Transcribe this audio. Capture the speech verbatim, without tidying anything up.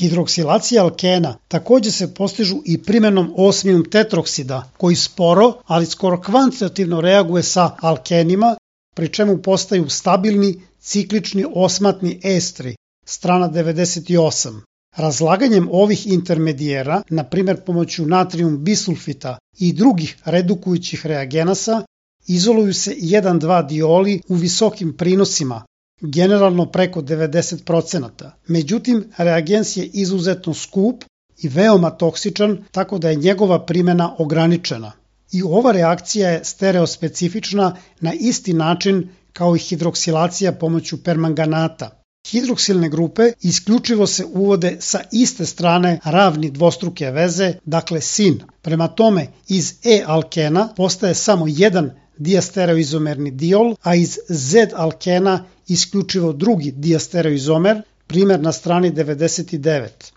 Hidroksilacija alkena takođe se postižu i primenom osmijum tetroksida, koji sporo, ali skoro kvantitativno reaguje sa alkenima, pri čemu postaju stabilni ciklični osmatni estri, strana devedeset osam. Razlaganjem ovih intermedijera, na primjer pomoću natrijum bisulfita i drugih redukujućih reagenasa, izoluju se jedan dva dioli u visokim prinosima, generalno preko devedeset procenata. Međutim, reagens je izuzetno skup i veoma toksičan, tako da je njegova primjena ograničena. I ova reakcija je stereospecifična na isti način kao i hidroksilacija pomoću permanganata. Hidroksilne grupe isključivo se uvode sa iste strane ravni dvostruke veze, dakle sin. Prema tome, iz E-alkena postaje samo jedan diastereoizomerni diol, a iz Z-alkena isključivo drugi diastereoizomer, primjer na strani devedeset devet.